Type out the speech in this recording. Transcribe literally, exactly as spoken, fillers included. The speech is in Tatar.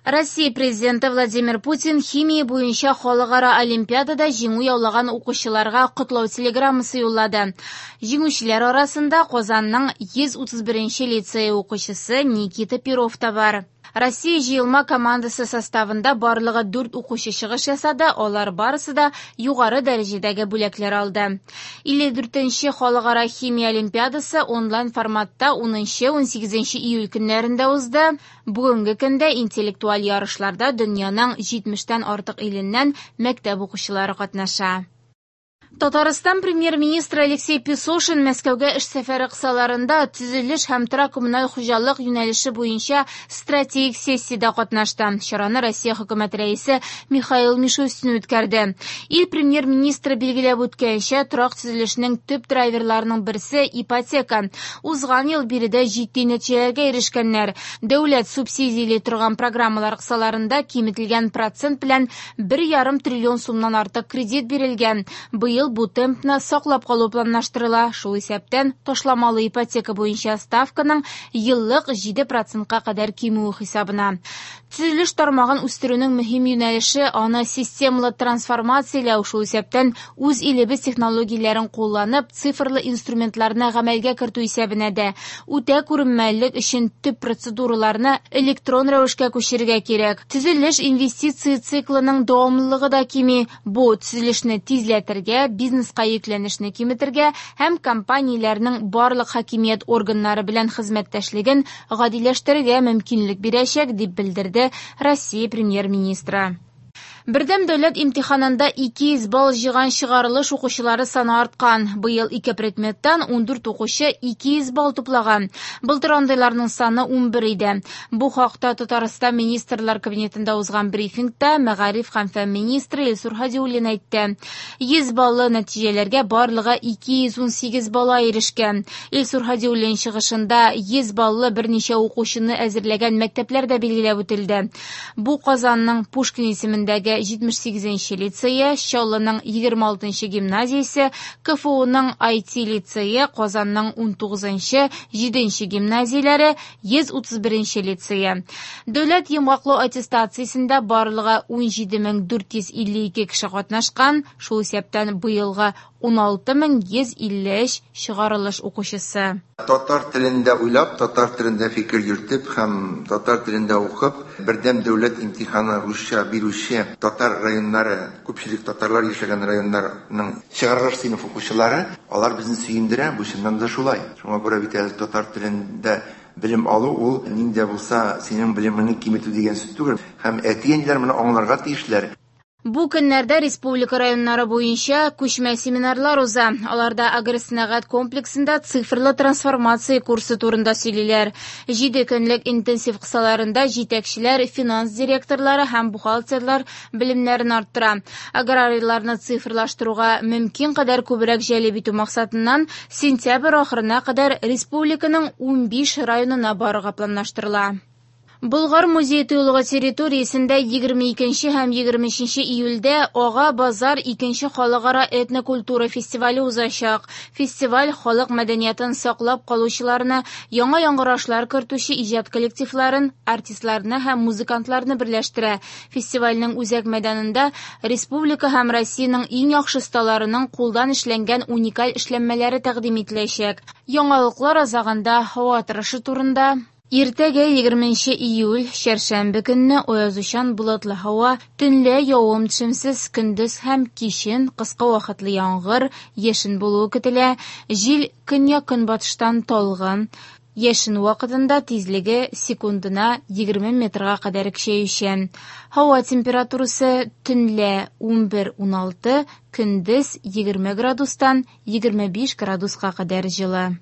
Россия Президенты Владимир Путин химия буенча халыкара олимпиадада җиңү яулаган укучыларга котлау телеграммасы юллады. Җиңүчеләр арасында Казанның йөз утыз беренче лицее укучысы Никита Перов та бар. Россия җыелма командасы составында барлыгы дүрт укучы чыгыш ясады, алар барысы да югары дәрәҗәдәге бүләкләр алды. илле дүртенче халыкара химия олимпиадасы онлайн форматта унынчы унсигезенче июль көннәрендә узды. Бүгенге көндә интеллектуаль ярышларда дөньяның җитмештән артык иленнән мәктәп укучылары катнаша. Татарстан премьер-министры Алексей Песошин Мәскәүгә эш сәфәре кысаларында төзелеш һәм торак коммуналь хуҗалык юнәлеше буенча стратегик сессиядә катнашты. Чараны Россия хөкүмәт рәисе Михаил Мишустин үткәрде. Ил премьер-министры билгеләп үткәнчә, торак төзелешенең төп драйверларының берсе ипотека. Узган ел биредә җитди нәтиҗәләргә ирешкәннәр. Дәүләт субсидияли торган программалар кысаларында киметелгән процент белән бер ярым триллион сумнан артык кредит бирелгән. Быел бу темпны саклап калу планлаштырыла. Шул исәптән ташламалы ипотека буенча ставканың еллык җиде процентка кадәр кимүе хисабына. Төзелеш тармагын үстерүнең мөһим юнәлеше аны системалы трансформацияләү, шул исәптән үз илебез технологияләрен кулланып, цифрлы инструментларны гамәлгә кертү исәбенә дә. Үтә күренмәлелек өчен төп процедураларны электрон рәвешкә күчерергә кирәк. Төзелеш инвестиция циклының дәвамлылыгы да кими. Бу төзелешне тизләтергә, бизнеска йөкләнешне киметергә һәм компанияләрнең барлык хакимият органнары белән хезмәттәшлеген гадиләштерергә мөмкинлек бирәчәк, дип белдерде Россия премьер-министры. Бердәм дәүләт имтиханында ике йөз балл җыйган чыгарылыш укучылары саны арткан. Быел ике предметтан ундүрт укучы ике йөз балл туплаган. Былтыр андыйларның саны унбер иде. Бу хакта Татарстан Министрлар Кабинетында узган брифингта мәгариф һәм фән министры Илсур Һадиуллин әйтте. Йөз баллы нәтиҗәләргә барлыгы ике йөз унсигез бала ирешкән. Илсур Һадиуллин чыгышында йөз баллы берничә укучыны әзерләгән мәктәпләр дә билгеләп үтелде. Бу Казанның Пушкин исемендәге җитмеш сигезенче лицее, Чаллының егерме алтынчы гимназиясе, КФУның ай ти лицее, Казанның унтугызынчы, җиденче гимназияләре, йөз утыз беренче лицее. Дәүләт йомгаклау аттестациясендә барлыгы унҗиде мең дүрт йөз илле ике кеше катнашкан, шул исәптән быелгы уналты мең йөз илле өч чыгарылыш укучысы. Татар телендә уйлап, татар телендә фикер йөртеп һәм татар телендә укып, бердәм дәүләт имтиханы русча бирүче татар районнары, күпчелек татарлар яшәгән районнарның чыгарылыш сыйныф укучылары, алар безне сөендерә, бу чыннан да шулай. Шуңа күрә бит әле татар телендә белем алу ул нинди дә булса синең белемеңне киметү дигән сүз түгел. Һәм әти-әниләр моны аңларга тиешләр. Бу көннәрдә республика районнары буенча күчмә семинарлар уза. Аларда агросәнәгать комплексында цифрлы трансформация курсы турында сөйлиләр. Җиде көнлек интенсив кысаларында җитәкчеләр, финанс директорлары һәм бухгалтерлар белемнәрен арттыра. Аграрийларны цифрлаштыруга мөмкин кадәр күбрәк җәлеп итү максатыннан сентябрь ахырына кадәр республиканың унбиш районына барырга планлаштырыла. Болгар музей тыюлыгы территориясендә егерме икенче һәм егерме өченче июльдә Ага базар икенче халыкара этнокультура фестивале узачак. Фестиваль халык мәдәниятын саклап калучыларны, яңа яңгырашлар кертүче иҗат коллективларын, артистларны һәм музыкантларны берләштерә. Фестивальнең үзәк мәйданында республика һәм Россиянең иң яхшы осталарының кулдан эшләнгән уникаль эшләнмәләре тәкъдим ителәчәк. Яңалыклар азагында һава торышы турында. Иртәгә егерменче июль, чәршәмбе көнне аязучан болытлы һава, төнлә явым-төшемсез, көндез һәм кичен кыска вакытлы яңгыр, яшен булуы көтелә. Җил көньяк-көнбатыштан талгын, яшен вакытында тизлеге секундына егерме метрга кадәр көчәючән. Һава температурасы төнлә унбер-уналты, көндез егерме градустан егерме биш градуска кадәр җылы.